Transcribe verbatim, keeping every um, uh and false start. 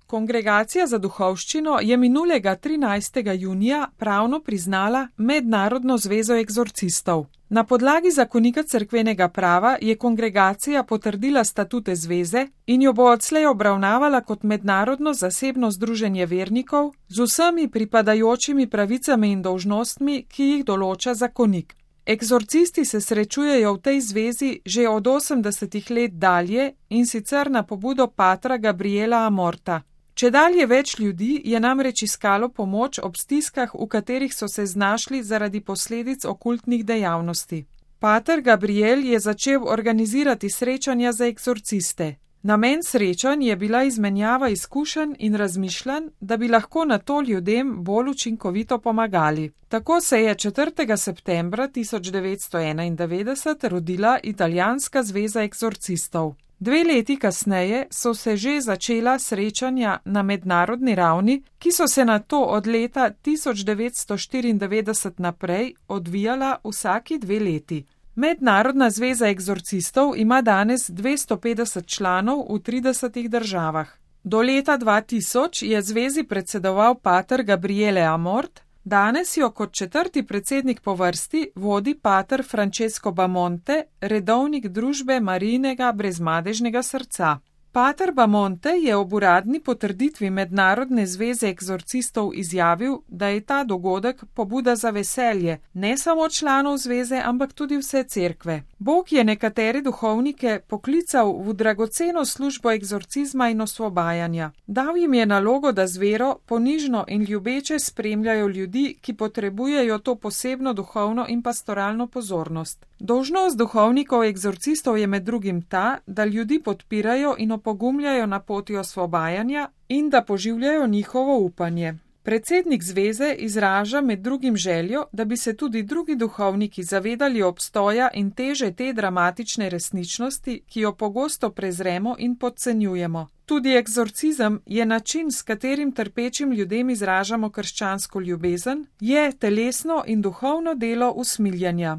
Kongregacija za duhovščino je minulega trinajstega junija pravno priznala Mednarodno zvezo egzorcistov. Na podlagi zakonika cerkvenega prava je kongregacija potrdila statute zveze in jo bo odslej obravnavala kot mednarodno zasebno združenje vernikov z vsemi pripadajočimi pravicami in dolžnostmi, ki jih določa zakonik. Egzorcisti se srečujejo v tej zvezi že od osemdesetih let dalje in sicer na pobudo patra Gabriela Amorta. Čedalje več ljudi je namreč iskalo pomoč ob stiskah, v katerih so se znašli zaradi posledic okultnih dejavnosti. Pater Gabriel je začel organizirati srečanja za egzorciste. Namen srečanj je bila izmenjava izkušenj in razmišljanj, da bi lahko na to ljudem bolj učinkovito pomagali. Tako se je četrtega septembra tisoč devetsto enaindevetdeset rodila Italijanska zveza egzorcistov. Dve leti kasneje so se že začela srečanja na mednarodni ravni, ki so se nato od leta tisoč devetsto štiriindevetdeset naprej odvijala vsaki dve leti. Mednarodna zveza egzorcistov ima danes dvesto petdeset članov v tridesetih državah. Do leta dva tisoč je zvezi predsedoval pater Gabriele Amort, danes jo kot četrti predsednik po vrsti vodi pater Francesco Bamonte, redovnik družbe Marijinega brezmadežnega srca. Pater Bamonte je ob uradni potrditvi Mednarodne zveze egzorcistov izjavil, da je ta dogodek pobuda za veselje ne samo članov zveze, ampak tudi vse cerkve. Bog je nekatere duhovnike poklical v dragoceno službo egzorcizma in osvobajanja. Dal jim je nalogo, da z vero, ponižno in ljubeče spremljajo ljudi, ki potrebujejo to posebno duhovno in pastoralno pozornost. Dolžnost duhovnikov egzorcistov je med drugim ta, da ljudi podpirajo in opogumljajo na poti osvobajanja in da poživljajo njihovo upanje. Predsednik zveze izraža med drugim željo, da bi se tudi drugi duhovniki zavedali obstoja in teže te dramatične resničnosti, ki jo pogosto prezremo in podcenjujemo. Tudi egzorcizem je način, s katerim trpečim ljudem izražamo krščansko ljubezen, je telesno in duhovno delo usmiljanja.